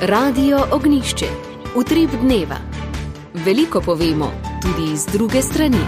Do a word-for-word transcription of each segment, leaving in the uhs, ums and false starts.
Radio Ognjišče. Utrip dneva. Veliko povemo tudi iz druge strani.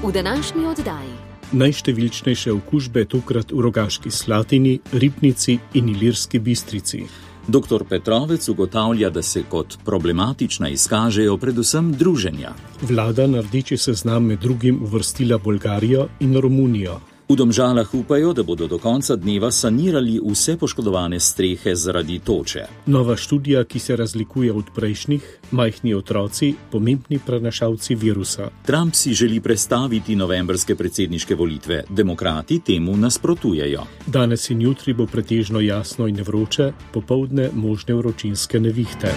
V današnji oddaji. Najštevilčnejše okužbe tokrat v Rogaški Slatini, Ribnici in Ilirski Bistrici. Doktor Petrovec ugotavlja, da se kot problematična izkažejo predvsem druženja. Vlada na rdeči seznam med drugim uvrstila Bolgarijo in Romunijo. V Domžalah upajo, da bodo do konca dneva sanirali vse poškodovane strehe zaradi toče. Nova študija, ki se razlikuje od prejšnjih, majhni otroci, pomembni prenašalci virusa. Trump si želi prestaviti novembrske predsedniške volitve. Demokrati temu nasprotujejo. Danes in jutri bo pretežno jasno in vroče, popoldne možne vročinske nevihte.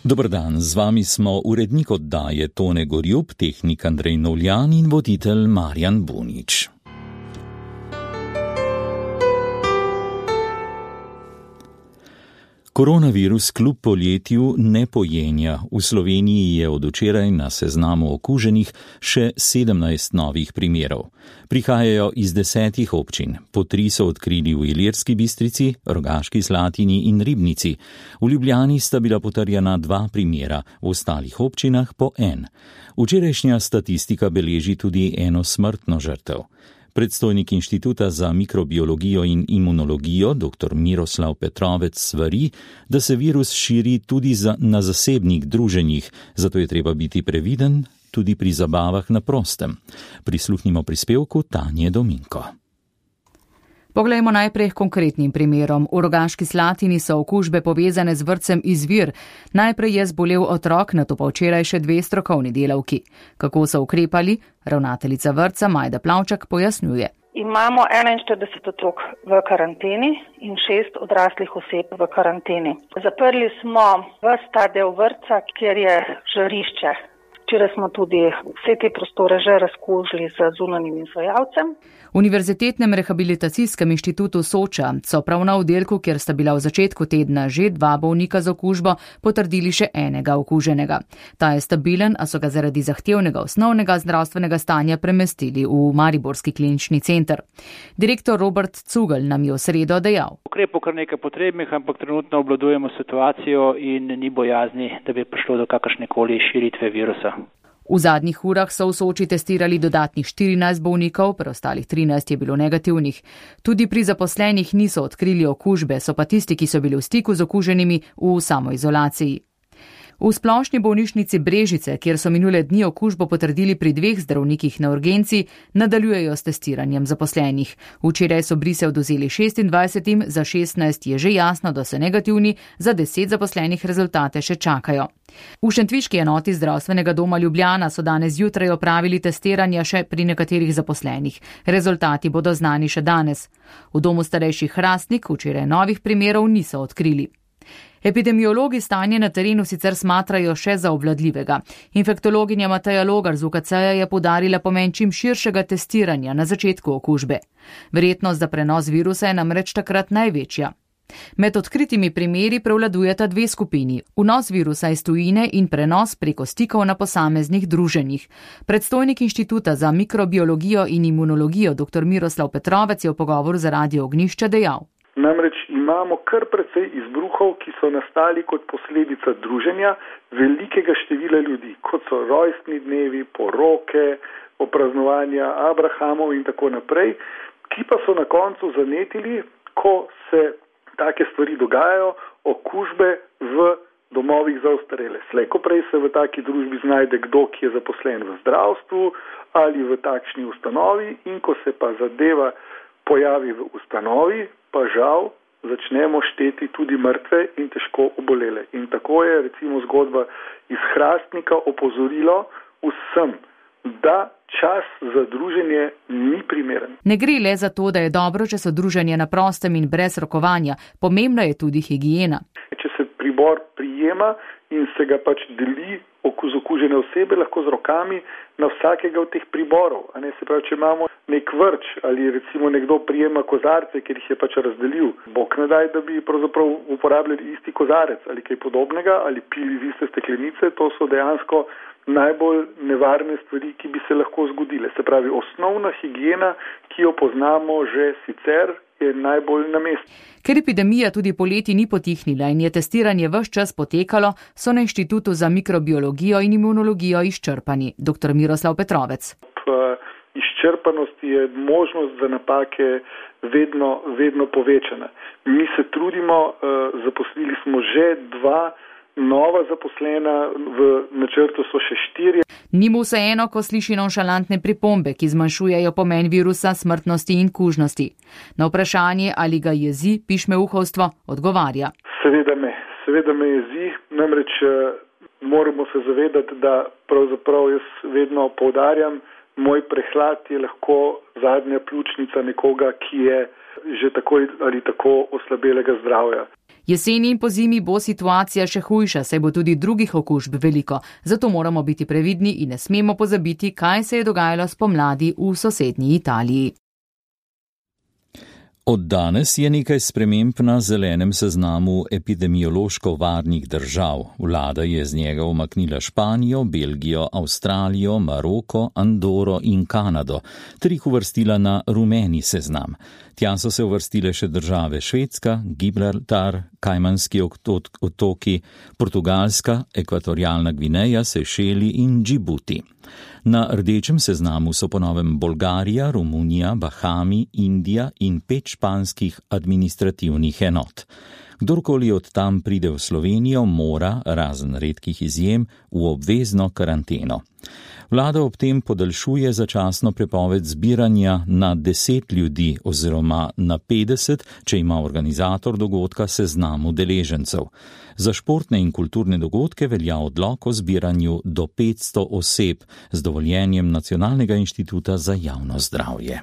Dober dan, z vami smo urednik oddaje Tone Gorjup, tehnik Andrej Novljan in voditelj Marjan Bunič. Koronavirus kljub poletju ne pojenja. V Sloveniji je od včeraj na seznamu okuženih še sedemnajst novih primerov. Prihajajo iz desetih občin. Po tri so odkrili v Ilirski Bistrici, Rogaški Slatini in Ribnici. V Ljubljani sta bila potrjena dva primera, v ostalih občinah po en. Včerajšnja statistika beleži tudi eno smrtno žrtev. Predstojnik Inštituta za mikrobiologijo in imunologijo, dr. Miroslav Petrovec, svari, da se virus širi tudi za, na zasebnih druženjih, zato je treba biti previden tudi pri zabavah na prostem. Prisluhnimo prispevku Tanje Dominko. Poglejmo najprej konkretnim primerom. V Rogaški Slatini so okužbe povezane z vrtcem Izvir. Najprej je zbolel otrok, nato pa včeraj še dve strokovni delavki. Kako so ukrepali? Ravnateljica vrtca Majda Plavčak pojasnjuje. Imamo enainštirideset otrok v karanteni in šest odraslih oseb v karanteni. Zaprli smo ves ta del vrtca, kjer je žarišče. Včeraj smo tudi vse te prostore že razkužili z zunanjim izvajalcem. V Univerzitetnem rehabilitacijskem inštitutu Soča so prav na oddelku, kjer sta bila v začetku tedna že dva bolnika z okužbo, potrdili še enega okuženega. Ta je stabilen, a so ga zaradi zahtevnega osnovnega zdravstvenega stanja premestili v Mariborski klinični center. Direktor Robert Cugel nam je v sredo dejal. Ukrepov kar nekaj potrebnih, ampak trenutno obvladujemo situacijo in ni bojazni, da bi prišlo do kakršnekoli širitve virusa. V zadnjih urah so v Soči testirali dodatnih štirinajst bolnikov, preostalih trinajst je bilo negativnih. Tudi pri zaposlenih niso odkrili okužbe, so pa tisti, ki so bili v stiku z okuženimi, v samoizolaciji. V splošni bolnišnici Brežice, kjer so minule dni okužbo potrdili pri dveh zdravnikih na urgenci, nadaljujejo s testiranjem zaposlenih. Včeraj so brise odvzeli šestindvajsetim, za šestnajst je že jasno, da so negativni, za deset zaposlenih rezultate še čakajo. V šentviški enoti zdravstvenega doma Ljubljana so danes zjutraj opravili testiranja še pri nekaterih zaposlenih. Rezultati bodo znani še danes. V domu starejših Hrastnik včeraj novih primerov niso odkrili. Epidemiologi stanje na terenu sicer smatrajo še za obvladljivega. Infektologinja Mateja Logar z U K C-ja je poudarila pomen čim širšega testiranja na začetku okužbe. Verjetnost za prenos virusa je namreč takrat največja. Med odkritimi primeri prevladujeta dve skupini. Vnos virusa iz tujine in prenos preko stikov na posameznih druženjih. Predstojnik Inštituta za mikrobiologijo in imunologijo dr. Miroslav Petrovec je v pogovoru za Radio Ognjišče dejal. Namreč imamo kar precej izbruhov, ki so nastali kot posledica druženja velikega števila ljudi, kot so rojstni dnevi, poroke, opraznovanja Abrahamov in tako naprej, ki pa so na koncu zanetili, ko se take stvari dogajajo, okužbe v domovih za ostarele. Slej ko prej se v taki družbi znajde kdo, ki je zaposlen v zdravstvu ali v takšni ustanovi, in ko se pa zadeva pojavi v ustanovi, pa žal začnemo šteti tudi mrtve in težko obolele. In tako je recimo zgodba iz Hrastnika opozorilo vsem, da čas za druženje ni primeren. Ne gre le za to, da je dobro, če so druženje na prostem in brez rokovanja. Pomembna je tudi higiena. Če se pribor prijema in se ga pač deli z okužene osebe, lahko z rokami na vsakega od teh priborov. A ne, se pravi, če imamo nek vrč ali recimo nekdo prijema kozarce, ker jih je pač razdelil. Bog ne daj, da bi pravzaprav uporabljali isti kozarec ali kaj podobnega ali pili iz iste steklenice. To so dejansko najbolj nevarne stvari, ki bi se lahko zgodile. Se pravi, osnovna higiena, ki jo poznamo že sicer, je najbolj na mestu. Ker epidemija tudi poleti ni potihnila in je testiranje ves čas potekalo, so na Inštitutu za mikrobiologijo in imunologijo izčrpani. Doktor Miroslav Petrovec. Izčrpanosti je možnost za napake vedno, vedno povečana. Mi se trudimo, zaposlili smo že dva nova zaposlena, v načrtu so še štirje. Ni mu vseeno, ko sliši nonšalantne pripombe, ki zmanjšujejo pomen virusa, smrtnosti in kužnosti. Na vprašanje, ali ga jezi pišmeuhovstvo, odgovarja. Seveda me, seveda me jezi, namreč moramo se zavedati, da pravzaprav jaz vedno poudarjam, moj prehlad je lahko zadnja pljučnica nekoga, ki je že tako ali tako oslabelega zdravja. Jeseni in pozimi bo situacija še hujša, saj bo tudi drugih okužb veliko, zato moramo biti previdni in ne smemo pozabiti, kaj se je dogajalo spomladi v sosednji Italiji. Od danes je nekaj sprememb na zelenem seznamu epidemiološko varnih držav. Vlada je z njega umaknila Španijo, Belgijo, Avstralijo, Maroko, Andoro in Kanado, ter jih uvrstila na rumeni seznam. Tja so se uvrstile še države Švedska, Gibraltar, Kajmanski otoki, Portugalska, Ekvatorialna Gvineja, Sejšeli in Džibuti. Na rdečem seznamu so ponovem Bolgarija, Romunija, Bahami, Indija in pet španskih administrativnih enot. Kdorkoli od tam pride v Slovenijo, mora, razen redkih izjem, v obvezno karanteno. Vlada ob tem podaljšuje začasno prepoved zbiranja na deset ljudi oziroma na petdeset, če ima organizator dogodka seznam udeležencev. Za športne in kulturne dogodke velja odlok o zbiranju do petsto oseb z dovoljenjem Nacionalnega inštituta za javno zdravje.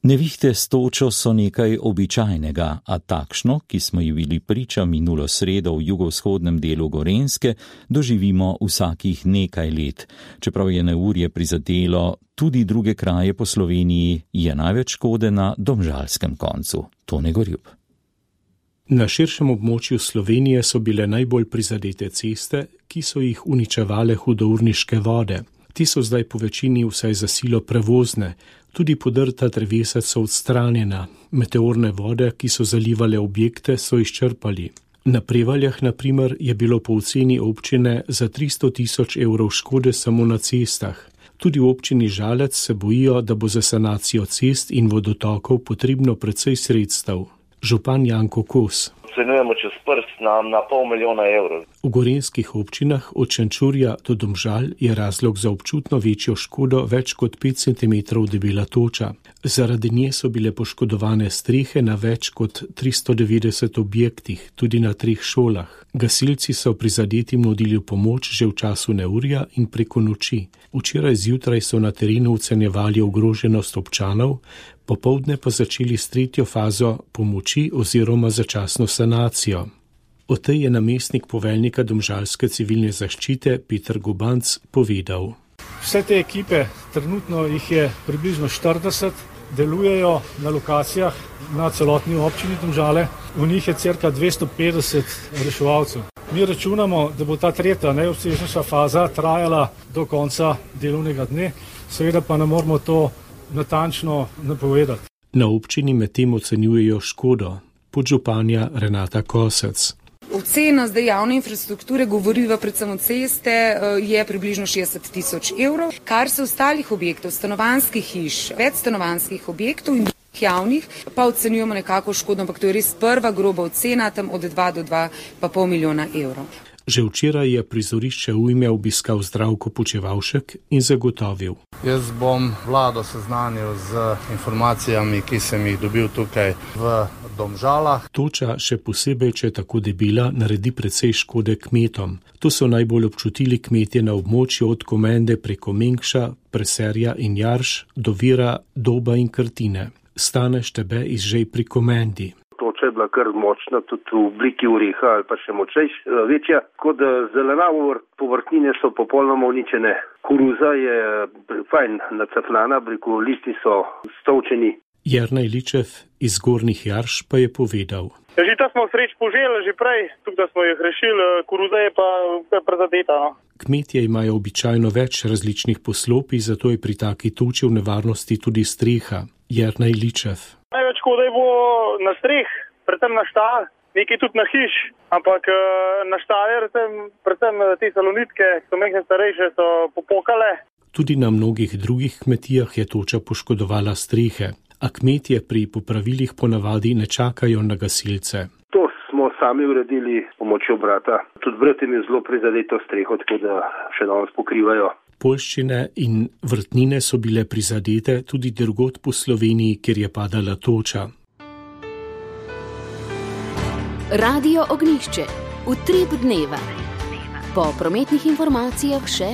Nevihte s točo so nekaj običajnega, a takšno, ki smo ji bili priča minulo sredo v jugovzhodnem delu Gorenjske, doživimo vsakih nekaj let. Čeprav je neurje prizadelo tudi druge kraje po Sloveniji, je največ škode na domžalskem koncu. Tone Gorjub. Na širšem območju Slovenije so bile najbolj prizadete ceste, ki so jih uničevale hudourniške vode. Ti so zdaj po večini vsaj za silo prevozne, tudi podrta drevesa so odstranjena, meteorne vode, ki so zalivale objekte, so izčrpali. Na Prevaljah, na primer, je bilo po oceni občine za tristo tisoč evrov škode samo na cestah. Tudi v občini Žalec se bojijo, da bo za sanacijo cest in vodotokov potrebno precej sredstev. Župan Janko Kos. Ocenjujemo čez prst na, na pol milijona evrov. V gorenjskih občinah od Šenčurja do Domžal je razlog za občutno večjo škodo več kot pet centimetrov debela toča. Zaradi nje so bile poškodovane strehe na več kot tristo devetdeset objektih, tudi na treh šolah. Gasilci so prizadetim nudili pomoč že v času neurja in preko noči. Včeraj zjutraj so na terenu ocenjevali ogroženost občanov, popoldne pa začeli s tretjo fazo pomoči oziroma začasno sanacijo. O tej je namestnik poveljnika domžalske civilne zaščite Peter Gubanc povedal. Vse te ekipe, trenutno jih je približno štirideset, delujejo na lokacijah na celotni občini Domžale. V njih je cirka dvesto petdeset reševalcev. Mi računamo, da bo ta tretja najobsežnejša faza trajala do konca delovnega dne, seveda pa ne moramo to natančno napovedati. Na občini medtem ocenjujejo škodo. Podžupanja Renata Kosec. Ocena zdaj javne infrastrukture, govoriva predvsem o ceste, je približno šestdeset tisoč evrov. Kar se ostalih objektov, stanovanjskih hiš, večstanovanjskih objektov in drugih javnih, pa ocenjujemo nekako škodo, ampak to je res prva groba ocena, tam od dva do dva pa pol milijona evrov. Že včeraj je prizorišče ujme obiskal Zdravko Počevalšek in zagotovil. Jaz bom vlado seznanil z informacijami, ki sem jih dobil tukaj v Domžalah. Toča, še posebej, če je tako debela, naredi precej škode kmetom. To so najbolj občutili kmetje na območju od Komende preko Mengša, Preserja in Jarš do Vira, Doba in Krtine. Stane Štebe iz Žej pri Komendi. Toča toča je bila kar močna, tudi v obliki oreha ali pa še močnejš, večja. Tako da zelenavo povrtnine so popolnoma uničene. Koruza je fajn nacefnana, breko listi so stolčeni. Jernej Ličev iz Gornjih Jarš pa je povedal. Že to smo sreč poželi, že prej, tukaj da smo jih rešili, koruza je pa prezadeta. No. Kmetje imajo običajno več različnih poslopij, zato je pri taki toči v nevarnosti tudi streha. Jernej Ličev. Največ škoda je bo na streh, predvsem na štal, nekaj tudi na hiš, ampak na štale, predvsem te salonitke, ki so mehne starejše, so popokale. Tudi na mnogih drugih kmetijah je toča poškodovala strehe, a kmetje pri popravilih ponavadi ne čakajo na gasilce. To smo sami uredili s pomočjo brata. Tudi brat jim je zelo prizadeto streho, tako da še danes pokrivajo. Poljščine in vrtnine so bile prizadete tudi drugod po Sloveniji, kjer je padala toča. Radio Ognjišče. Utrip dneva. Po prometnih informacijah še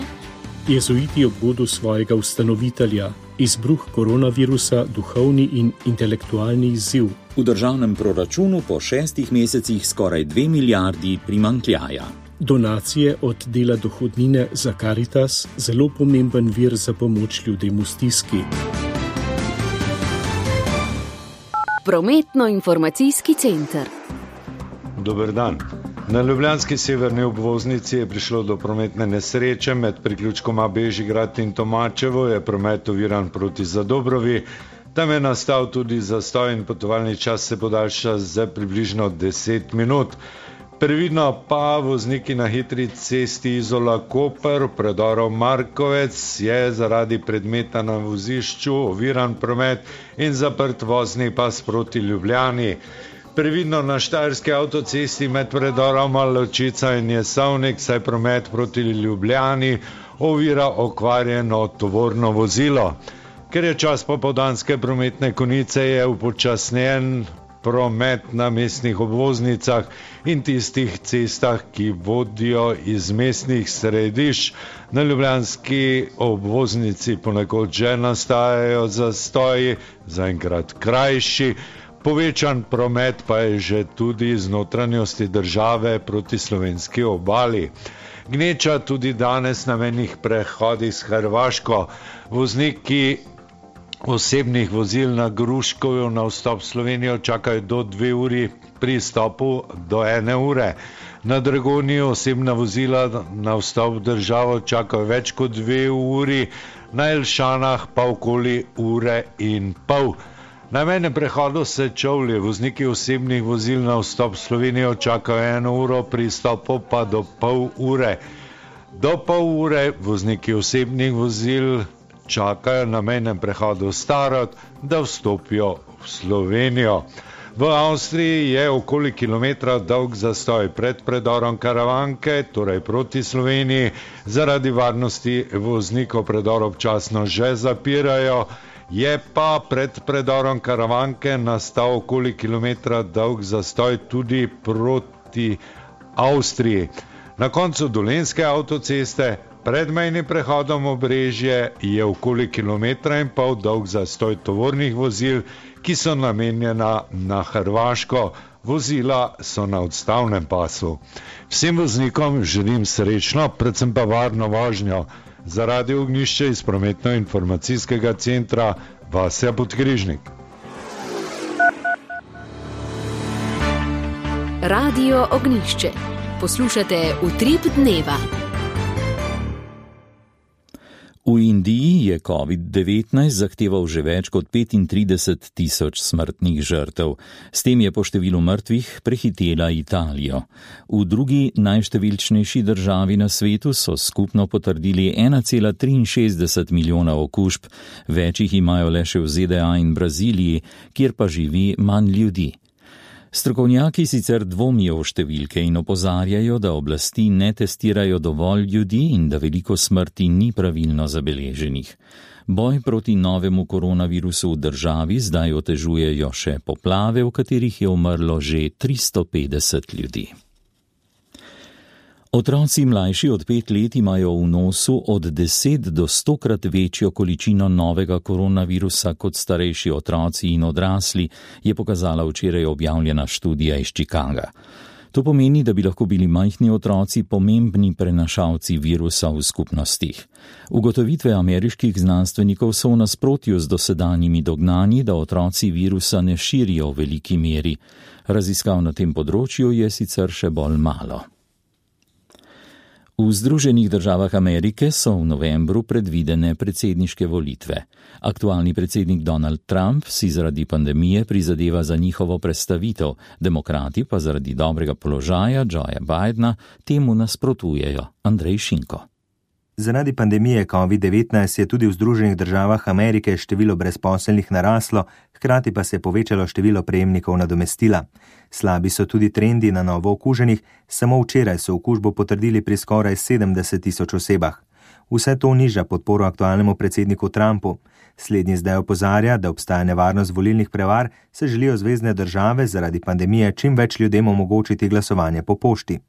jezuiti ob godu svojega ustanovitelja, izbruh koronavirusa, duhovni in intelektualni izziv. V državnem proračunu po šestih mesecih skoraj dve milijardi primanjkljaja. Donacije od dela dohodnine za Karitas, zelo pomemben vir za pomoč ljudem v stiski. Prometno-informacijski center. Dober dan. Na ljubljanski severni obvoznici je prišlo do prometne nesreče med priključkoma Bežigrad in Tomačevo, je promet oviran proti Zadobrovi. Tam je nastal tudi zastoj in potovalni čas se podaljša za približno deset minut. Previdno pa vozniki na hitri cesti Izola-Koper, predorov Markovec, je zaradi predmeta na vozišču oviran promet in zaprt vozni pas proti Ljubljani. Previdno na štajerski avtocesti med predoroma Ločica in Jesovnik, saj promet proti Ljubljani ovira okvarjeno tovorno vozilo. Ker je čas popoldanske prometne konice, je upočasnjen promet na mestnih obvoznicah in tistih cestah, ki vodijo iz mestnih središč. Na ljubljanski obvoznici ponekod že nastajajo zastoji, zaenkrat krajši. Povečan promet pa je že tudi iz notranjosti države proti slovenski obali. Gneča tudi danes na mejnih prehodih s Hrvaško. Vozniki osebnih vozil na Gruškovju na vstop v Slovenijo čakajo do dve uri, pri stopu do ene ure. Na Dragoniji osebna vozila na vstop v državo čakajo več kot dve uri, na Elšanah pa okoli ure in pol. Na mejnem prehodu Sečovlje vozniki osebnih vozil na vstop v Slovenijo čakajo eno uro, pri stopu pa do pol ure. Do pol ure vozniki osebnih vozil čakajo na mejnem prehodu Starod, da vstopijo v Slovenijo. V Avstriji je okoli kilometra dolg zastoj pred predorom Karavanke, torej proti Sloveniji. Zaradi varnosti voznikov predor občasno že zapirajo. Je pa pred predorom Karavanke nastal okoli kilometra dolg zastoj tudi proti Avstriji. Na koncu Dolenjske avtoceste pred mejnim prehodom Obrežje je okoli kilometra in pol dolg zastoj tovornih vozil, ki so namenjena na Hrvaško. Vozila so na odstavnem pasu. Vsem voznikom želim srečno, predvsem pa varno vožnjo. Za Radio Ognjišče iz prometno-informacijskega centra Vasja Podkrižnik. Radio Ognjišče. Poslušate Utrip dneva. V Indiji je covid devetnajst zahteval že več kot petintrideset tisoč smrtnih žrtev. S tem je po številu mrtvih prehitela Italijo. V drugi najštevilčnejši državi na svetu so skupno potrdili ena cela triinšestdeset milijona okužb, več jih imajo le še v Z D A in Braziliji, kjer pa živi manj ljudi. Strokovnjaki sicer dvomijo v številke in opozarjajo, da oblasti ne testirajo dovolj ljudi in da veliko smrti ni pravilno zabeleženih. Boj proti novemu koronavirusu v državi zdaj otežujejo še poplave, v katerih je umrlo že tristo petdeset ljudi. Otroci mlajši od pet let imajo v nosu od deset do stokrat večjo količino novega koronavirusa kot starejši otroci in odrasli, je pokazala včeraj objavljena študija iz Chicaga. To pomeni, da bi lahko bili majhni otroci pomembni prenašalci virusa v skupnostih. Ugotovitve ameriških znanstvenikov so v nasprotju z dosedanjimi dognanji, da otroci virusa ne širijo v veliki meri. Raziskav na tem področju je sicer še bolj malo. V Združenih državah Amerike so v novembru predvidene predsedniške volitve. Aktualni predsednik Donald Trump si zaradi pandemije prizadeva za njihovo prestavitev, demokrati pa zaradi dobrega položaja Joea Bidena temu nasprotujejo. Andrej Šinko. Zaradi pandemije covid devetnajst je tudi v Združenih državah Amerike število brezposelnih naraslo, hkrati pa se je povečalo število prejemnikov nadomestila. Slabi so tudi trendi na novo okuženih, samo včeraj so okužbo potrdili pri skoraj sedemdeset tisoč osebah. Vse to niža podporo aktualnemu predsedniku Trumpu. Slednji zdaj opozarja, da obstaja nevarnost volilnih prevar, se želijo zvezne države zaradi pandemije čim več ljudem omogočiti glasovanje po pošti.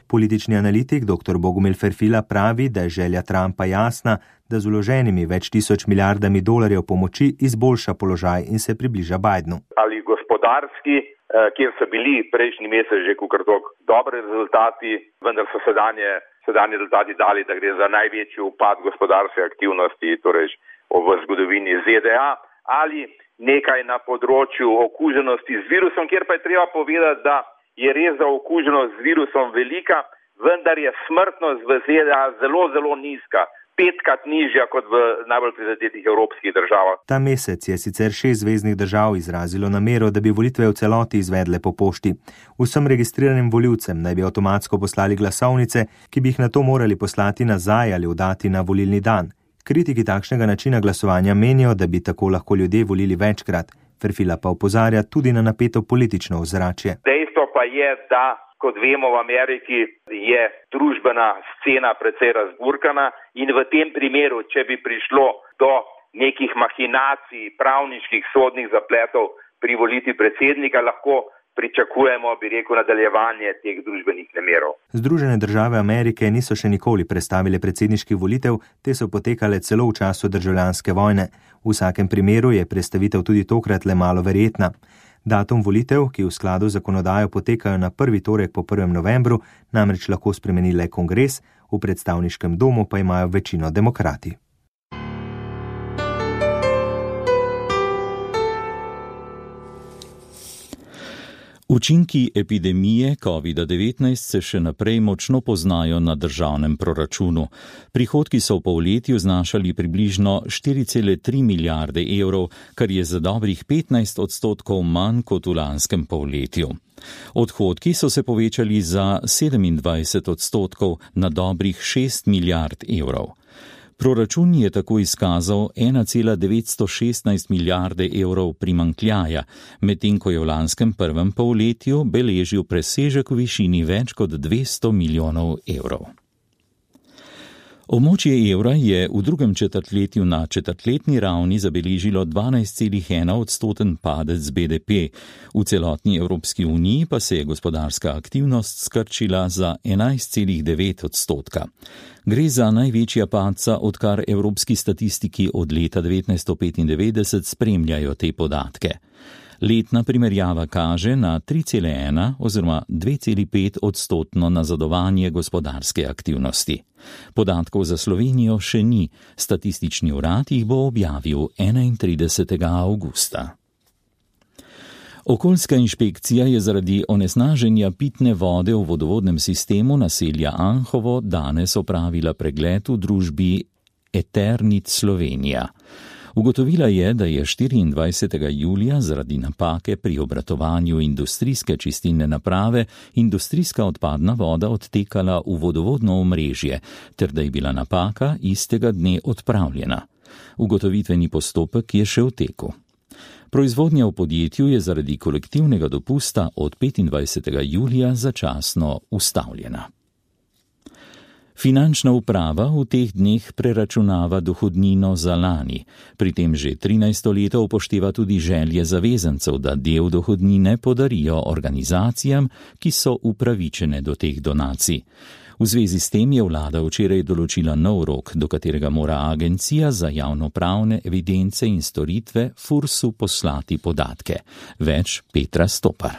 Politični analitik dr. Bogumil Ferfila pravi, da je želja Trumpa jasna, da z vloženimi več tisoč milijardami dolarjev pomoči izboljša položaj in se približa Bidenu. Ali gospodarski, kjer so bili prejšnji mesec že kukrtok dobri rezultati, vendar so sedanje, sedanje rezultati dali, da gre za največji upad gospodarske aktivnosti, torej v zgodovini Z D A, ali nekaj na področju okuženosti z virusom, kjer pa je treba povedati, da je res za okuženost z virusom velika, vendar je smrtnost v Z D A zelo, zelo nizka, petkrat nižja kot v najbolj prizadetih evropskih državah. Ta mesec je sicer šest zveznih držav izrazilo namero, da bi volitve v celoti izvedle po pošti. Vsem registriranim volivcem naj bi avtomatsko poslali glasovnice, ki bi jih nato morali poslati nazaj ali oddati na volilni dan. Kritiki takšnega načina glasovanja menijo, da bi tako lahko ljudje volili večkrat. Ferfila pa opozarja tudi na napeto politično ozračje. Dejstvo pa je, da, kot vemo, v Ameriki je družbena scena precej razburkana in v tem primeru, če bi prišlo do nekih mahinacij, pravniških, sodnih zapletov pri volitvi predsednika, lahko pričakujemo, bi rekel, nadaljevanje teh družbenih nemirov. Združene države Amerike niso še nikoli prestavile predsedniških volitev, te so potekale celo v času državljanske vojne. V vsakem primeru je prestavitev tudi tokrat le malo verjetna. Datum volitev, ki v skladu z zakonodajo potekajo na prvi torek po prvem novembru, namreč lahko spremeni le kongres, v predstavniškem domu pa imajo večino demokrati. Učinki epidemije covid devetnajst se še naprej močno poznajo na državnem proračunu. Prihodki so v polletju znašali približno štiri cele tri milijarde evrov, kar je za dobrih petnajst odstotkov manj kot v lanskem polletju. Odhodki so se povečali za sedemindvajset odstotkov na dobrih šest milijard evrov. Proračun je tako izkazal ena cela devetsto šestnajst milijarde evrov primanjkljaja, medtem ko je v lanskem prvem polletju beležil presežek v višini več kot dvesto milijonov evrov. Območje evra je v drugem četrtletju na četrtletni ravni zabeležilo dvanajst celih ena odstoten padec B D P, v celotni Evropski uniji pa se je gospodarska aktivnost skrčila za enajst celih devet odstotka. Gre za največja padca, odkar evropski statistiki od leta devetnajststo petindevetdeset spremljajo te podatke. Letna primerjava kaže na tri cele ena oziroma dve celi pet odstotno nazadovanje gospodarske aktivnosti. Podatkov za Slovenijo še ni, statistični urad jih bo objavil enaintridesetega avgusta. Okoljska inšpekcija je zaradi onesnaženja pitne vode v vodovodnem sistemu naselja Anhovo danes opravila pregled v družbi Eternit Slovenija. Ugotovila je, da je štiriindvajsetega julija zaradi napake pri obratovanju industrijske čistilne naprave industrijska odpadna voda odtekala v vodovodno omrežje, ter da je bila napaka istega dne odpravljena. Ugotovitveni postopek je še v teku. Proizvodnja v podjetju je zaradi kolektivnega dopusta od petindvajsetega julija začasno ustavljena. Finančna uprava v teh dneh preračunava dohodnino za lani. Pri tem že trinajsto leto upošteva tudi želje zavezancev, da del dohodnine podarijo organizacijam, ki so upravičene do teh donacij. V zvezi s tem je vlada včeraj določila nov rok, do katerega mora Agencija za javnopravne evidence in storitve Fursu poslati podatke. Več Petra Stopar.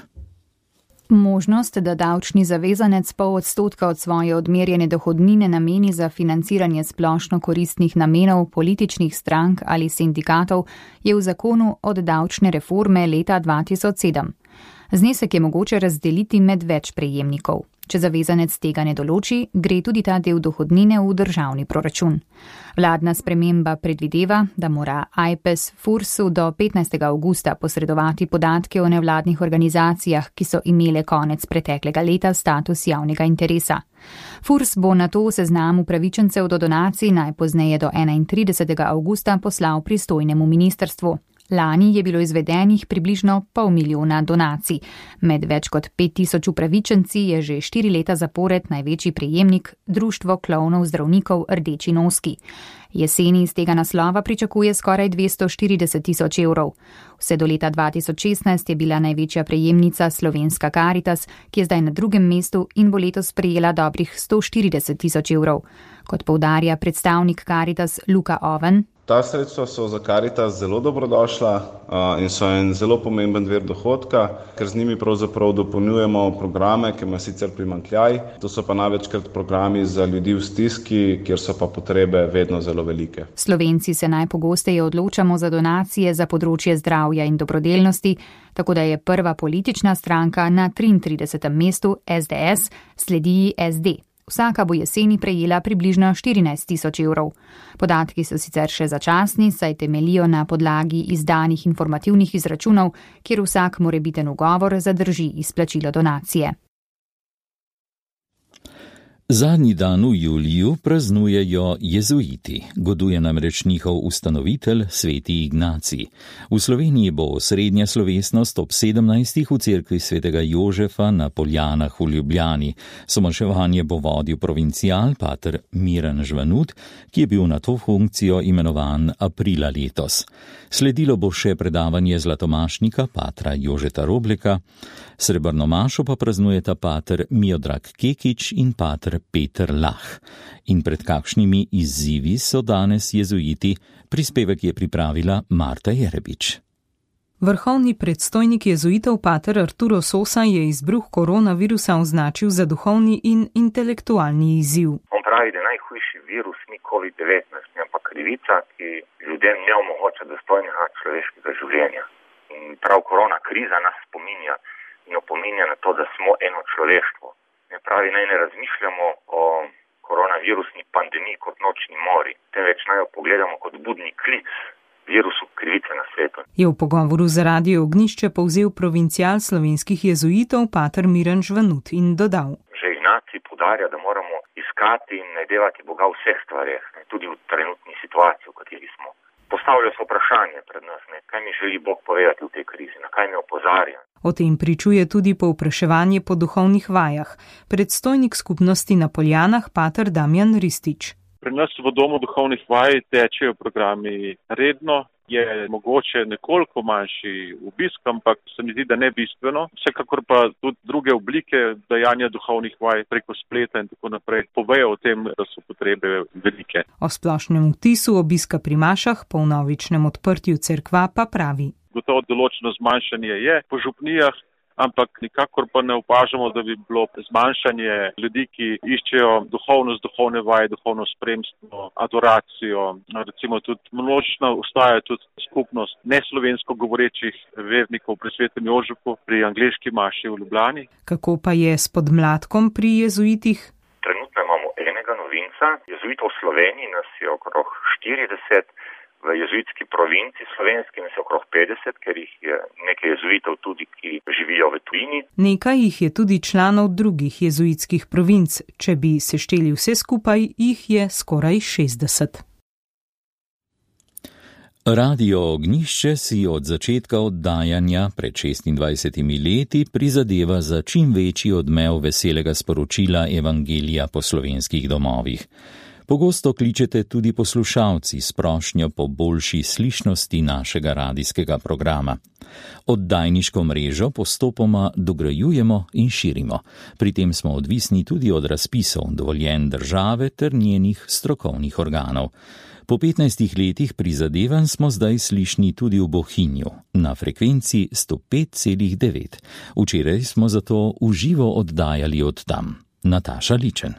Možnost, da davčni zavezanec pol odstotka od svoje odmerjene dohodnine nameni za financiranje splošno koristnih namenov političnih strank ali sindikatov, je v zakonu od davčne reforme leta dva tisoč sedem. Znesek je mogoče razdeliti med več prejemnikov. Če zavezanec tega ne določi, gre tudi ta del dohodnine v državni proračun. Vladna sprememba predvideva, da mora Ajpes Fursu do petnajstega avgusta posredovati podatke o nevladnih organizacijah, ki so imele konec preteklega leta status javnega interesa. Furs bo na to seznam upravičencev do donacij najpozneje do enaintridesetega avgusta poslal pristojnemu ministrstvu. Lani je bilo izvedenih približno pol milijona donacij. Med več kot pet tisoč upravičenci je že štiri leta zapored največji prejemnik Društvo klovnov zdravnikov Rdeči noski. Jeseni iz tega naslova pričakuje skoraj dvesto štirideset tisoč evrov. Vse do leta dva tisoč šestnajst je bila največja prejemnica Slovenska Karitas, ki je zdaj na drugem mestu in bo letos prejela dobrih sto štirideset tisoč evrov. Kot poudarja predstavnik Karitas Luka Oven, ta sredstva so za Karitas zelo dobrodošla in so en zelo pomemben vir dohodka, ker z njimi pravzaprav dopolnjujemo programe, ki ima sicer primanjkljaj. To so pa največkrat programi za ljudi v stiski, kjer so pa potrebe vedno zelo velike. Slovenci se najpogosteje odločamo za donacije za področje zdravja in dobrodelnosti, tako da je prva politična stranka na triintridesetem mestu S D S, sledi S D. Vsaka bo jeseni prejela približno štirinajst tisoč evrov. Podatki so sicer še začasni, saj temelijo na podlagi izdanih informativnih izračunov, kjer vsak morebiten ugovor zadrži izplačilo donacije. Zadnji dan v juliju praznujejo jezuiti, goduje namreč njihov ustanovitelj sveti Ignacij. V Sloveniji bo osrednja slovesnost ob sedemnajstih v cerkvi svetega Jožefa na Poljanah v Ljubljani. Somaševanje bo vodil provincial pater Miran Žvanut, ki je bil na to funkcijo imenovan aprila letos. Sledilo bo še predavanje zlatomašnika patra Jožeta Robleka, srebrno mašo pa praznujeta pater Miodrag Kekič in pater Peter Lah. In pred kakšnimi izzivi so danes jezuiti, prispevek je pripravila Marta Jerebič. Vrhovni predstojnik jezuitov pater Arturo Sosa je izbruh koronavirusa označil za duhovni in intelektualni izziv. On pravi, da najhujši virus ni covid devetnajst, ampak krivica, ki ljudem ne omogoča dostojnega človeškega življenja. In prav korona kriza nas spominja in opominja na to, da smo eno človeštvo. Ne pravi, naj ne razmišljamo o koronavirusni pandemiji kot nočni mori, temveč naj jo pogledamo kot budni klic virusu krivice na svetu. Je v pogovoru za Radio Ognjišče povzel provincial slovenskih jezuitov pater Miran Žvanut in dodal. Že Ignacij poudarja, da moramo iskati in najdevati Boga v vseh stvareh, tudi v trenutni situaciji, v kateri smo. Postavlja se vprašanje pred nas, ne, kaj mi želi Bog povedati v tej krizi, na kaj me opozarja. O tem pričuje tudi povpraševanje po duhovnih vajah. Predstojnik skupnosti na Poljanah, pater Damjan Ristič. Pri nas v domu duhovnih vaj tečejo programi redno, je mogoče nekoliko manjši obisk, ampak se mi zdi, da ne bistveno. Vsekakor pa tudi druge oblike dajanja duhovnih vaj preko spleta in tako naprej povejo o tem, da so potrebe velike. O splošnem vtisu obiska pri mašah po vnovičnem odprtju cerkva pa pravi. Gotovo določeno zmanjšanje je po župnijah, ampak nikakor pa ne opažamo, da bi bilo zmanjšanje ljudi, ki iščejo duhovnost, duhovne vaje, duhovno spremstvo, adoracijo. Recimo tudi množična ostaja tudi skupnost neslovensko govorečih vernikov pri svetem Jožefu, pri angleški maši v Ljubljani. Kako pa je s podmladkom pri jezuitih? Trenutno imamo enega novinca, jezuitov v Sloveniji nas je okrog štirideset, v jezuitski provinci slovenski nas je okrog petdeset, ker jih je nekaj jezuitov tudi, ki živijo v tujini. Nekaj jih je tudi članov drugih jezuitskih provinc. Če bi sešteli vse skupaj, jih je skoraj šestdeset. Radio Ognjišče si od začetka oddajanja pred šestindvajsetimi leti prizadeva za čim večji odmev veselega sporočila Evangelija po slovenskih domovih. Pogosto kličete tudi poslušalci s prošnjo po boljši slišnosti našega radijskega programa. Oddajniško mrežo postopoma dograjujemo in širimo. Pri tem smo odvisni tudi od razpisov, dovoljenj države ter njenih strokovnih organov. Po petnajstih letih prizadevanj smo zdaj slišni tudi v Bohinju, na frekvenci sto pet celih devet. Včeraj smo zato v živo oddajali od tam. Nataša Ličen.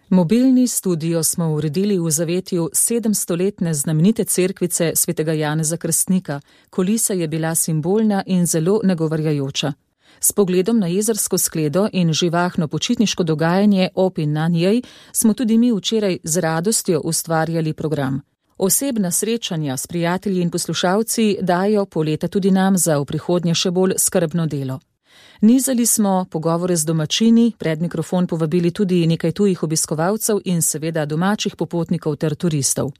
Mobilni studio smo uredili v zavetju sedemstoletne znamenite cerkvice svetega Janeza Krstnika. Kulisa je bila simbolna in zelo nagovarjajoča. S pogledom na jezersko skledo in živahno počitniško dogajanje ob in na njej smo tudi mi včeraj z radostjo ustvarjali program. Osebna srečanja s prijatelji in poslušalci dajo poleta tudi nam za v prihodnje še bolj skrbno delo. Nizali smo pogovore z domačini, pred mikrofon povabili tudi nekaj tujih obiskovalcev in seveda domačih popotnikov ter turistov.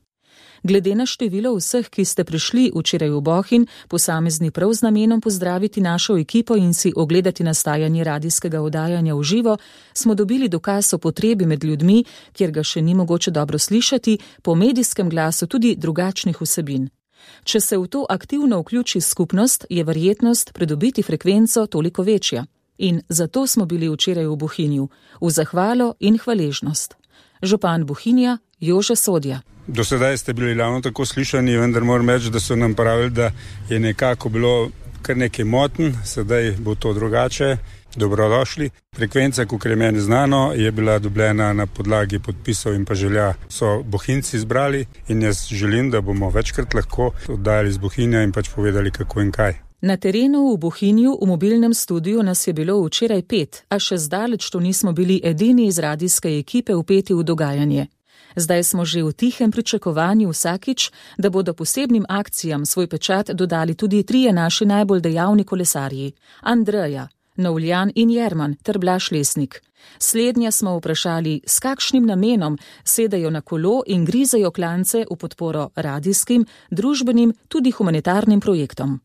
Glede na število vseh, ki ste prišli včeraj v Bohinj, posamezni prav z namenom pozdraviti našo ekipo in si ogledati nastajanje radijskega oddajanja v živo, smo dobili dokaz o potrebi med ljudmi, kjer ga še ni mogoče dobro slišati, po medijskem glasu tudi drugačnih vsebin. Če se v to aktivno vključi skupnost, je verjetnost pridobiti frekvenco toliko večja. In zato smo bili včeraj v Bohinju, v zahvalo in hvaležnost. Župan Bohinja Jože Sodja. Do sedaj ste bili ravno tako slišani, vendar moram reči, da so nam pravili, da je nekako bilo kar nekaj moten, sedaj bo to drugače. Dobrodošli. Frekvenca, kot je meni znano, je bila dobljena na podlagi podpisov in pa želja. So Bohinjci izbrali in jaz želim, da bomo večkrat lahko oddajali z Bohinja in pač povedali, kako in kaj. Na terenu v Bohinju v mobilnem studiu nas je bilo včeraj pet, a še zdaleč to nismo bili edini iz radijske ekipe vpeti v dogajanje. Zdaj smo že v tihem pričakovanju vsakič, da bodo posebnim akcijam svoj pečat dodali tudi trije naši najbolj dejavni kolesarji. Andreja, Novljan in Jerman ter Blaž Lesnik. Slednja smo vprašali, s kakšnim namenom sedajo na kolo in grizajo klance v podporo radijskim, družbenim, tudi humanitarnim projektom.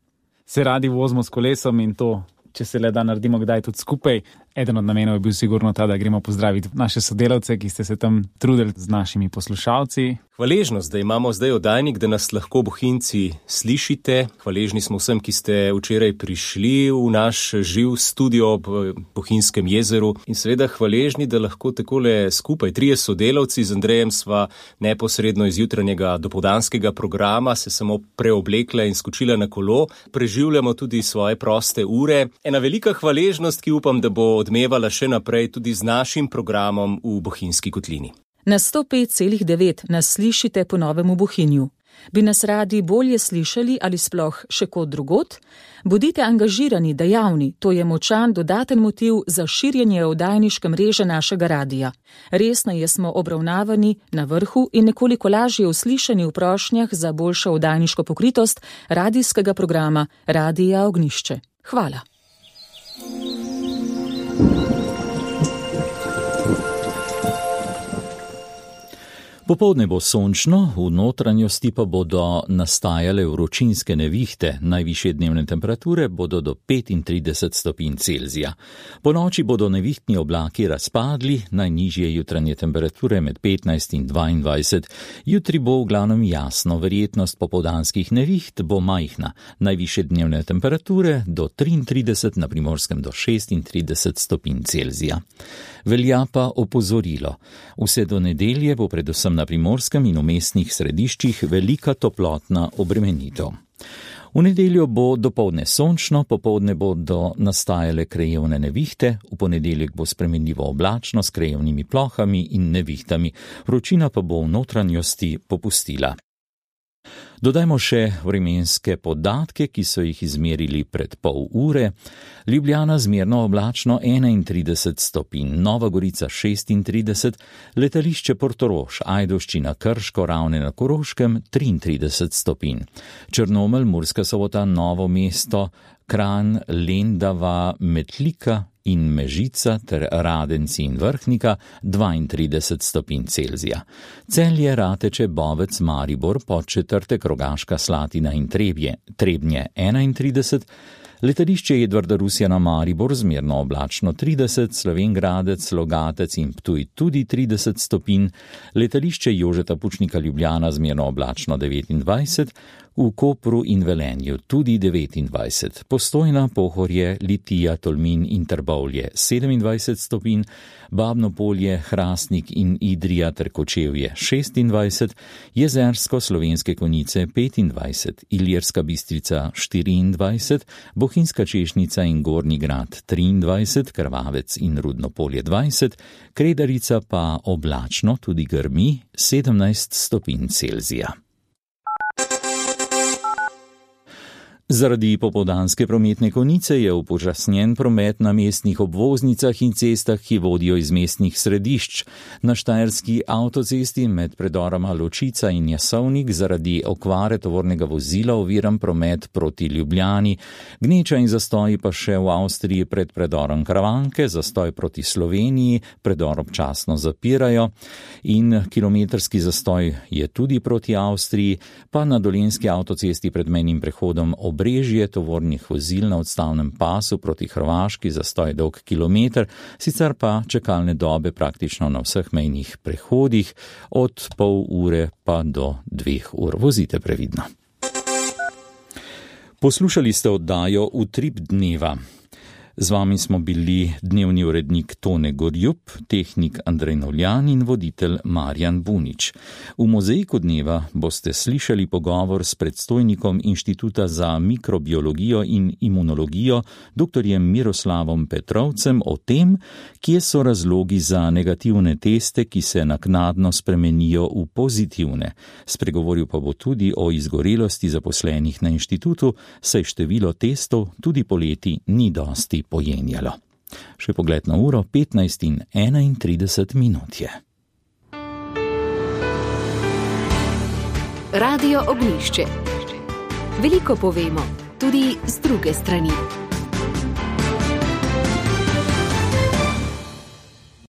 Se radi vozimo s kolesom in to, če se le da naredimo kdaj tudi skupaj. Eden od namenov je bil sigurno ta, da gremo pozdraviti naše sodelavce, ki ste se tam trudili z našimi poslušalci. Hvaležnost, da imamo zdaj oddajnik, da nas lahko Bohinjci slišite. Hvaležni smo vsem, ki ste včeraj prišli v naš živ studio ob Bohinjskem jezeru. In seveda hvaležni, da lahko takole skupaj trije sodelavci z Andrejem sva neposredno iz jutranjega dopoldanskega programa se samo preoblekla in skočila na kolo. Preživljamo tudi svoje proste ure. Ena velika hvaležnost, ki upam, da bo odmevala še naprej tudi z našim programom v Bohinjski kotlini. Na sto pet celih devet nas slišite po novem v Bohinju. Bi nas radi bolje slišali ali sploh še kot drugot? Bodite angažirani, dejavni, to je močan dodaten motiv za širjenje oddajniške mreže našega radija. Resneje smo obravnavani na vrhu in nekoliko lažje uslišani v prošnjah za boljšo oddajniško pokritost radijskega programa Radija Ognjišče. Hvala. Popoldne bo sončno, v notranjosti pa bodo nastajale vročinske nevihte, najvišje dnevne temperature bodo do petintrideset stopinj Celzija. Po noči bodo nevihtni oblaki razpadli, najnižje jutranje temperature med petnajst in dvaindvajset. Jutri bo v glavnem jasno, verjetnost popoldanskih neviht bo majhna, najvišje dnevne temperature do triintrideset, na Primorskem do šestintrideset stopinj Celzija. Velja pa opozorilo. Vse do nedelje bo predvsem na Primorskem in v mestnih središčih velika toplotna obremenitev. V nedeljo bo dopoldne sončno, popoldne bodo nastajale krajevne nevihte, v ponedeljek bo spremenljivo oblačno s krajevnimi plohami in nevihtami, vročina pa bo v notranjosti popustila. Dodajmo še vremenske podatke, ki so jih izmerili pred pol ure. Ljubljana zmerno oblačno enaintrideset stopinj, Nova Gorica šestintrideset, letališče Portorož, Ajdovščina, Krško, Ravne na Koroškem triintrideset stopinj. Črnomelj, Murska Sobota, Novo mesto, Kranj, Lendava, Metlika in Mežica ter Radenci in Vrhnika dvaintrideset stopinj Celzija. Celje, Rateče, Bovec, Maribor, Podčetrtek, Rogaška Slatina in Trebje, Trebnje enaintrideset, Letališče Edvarda Rusjana Maribor zmerno oblačno trideset, Slovenj Gradec, Logatec in Ptuj tudi trideset stopinj, letališče Jožeta Pučnika Ljubljana zmerno oblačno devetindvajset, v Kopru in Velenju tudi devetindvajset, Postojna, Pohorje, Litija, Tolmin in Trbovlje sedemindvajset stopinj, Babno Polje, Hrastnik in Idrija ter Kočevje šestindvajset, Jezersko, Slovenske Konjice petindvajset, Ilirska Bistrica štiriindvajset, Bohinjska Češnica in Gornji Grad triindvajset, Krvavec in Rudno Polje dvajset, Kredarica pa oblačno tudi grmi sedemnajst stopinj Celzija. Zaradi popoldanske prometne konice je upočasnjen promet na mestnih obvoznicah in cestah, ki vodijo iz mestnih središč. Na štajerski avtocesti med predoroma Ločica in Jasovnik zaradi okvare tovornega vozila oviran promet proti Ljubljani. Gneča in zastoji pa še v Avstriji pred predorom Kravanke, zastoj proti Sloveniji, predor občasno zapirajo in kilometrski zastoj je tudi proti Avstriji, pa na dolenjski avtocesti pred mejnim prehodom Obrežje tovornih vozil na odstavnem pasu proti Hrvaški zastoj dolg kilometer, sicer pa čakalne dobe praktično na vseh mejnih prehodih od pol ure pa do dveh ur. Vozite previdno. Poslušali ste oddajo Utrip dneva. Z vami smo bili dnevni urednik Tone Gorjup, tehnik Andrej Novljan in voditelj Marjan Bunič. V mozaiku dneva boste slišali pogovor s predstojnikom Inštituta za mikrobiologijo in imunologijo, doktorjem Miroslavom Petrovcem, o tem, kje so razlogi za negativne teste, ki se naknadno spremenijo v pozitivne. Spregovoril pa bo tudi o izgorelosti zaposlenih na inštitutu, saj število testov tudi poleti ni dosti pojenjalo. Še pogled na uro, petnajst in enaintrideset minut je. Radio Ognjišče. Veliko povemo, tudi z druge strani.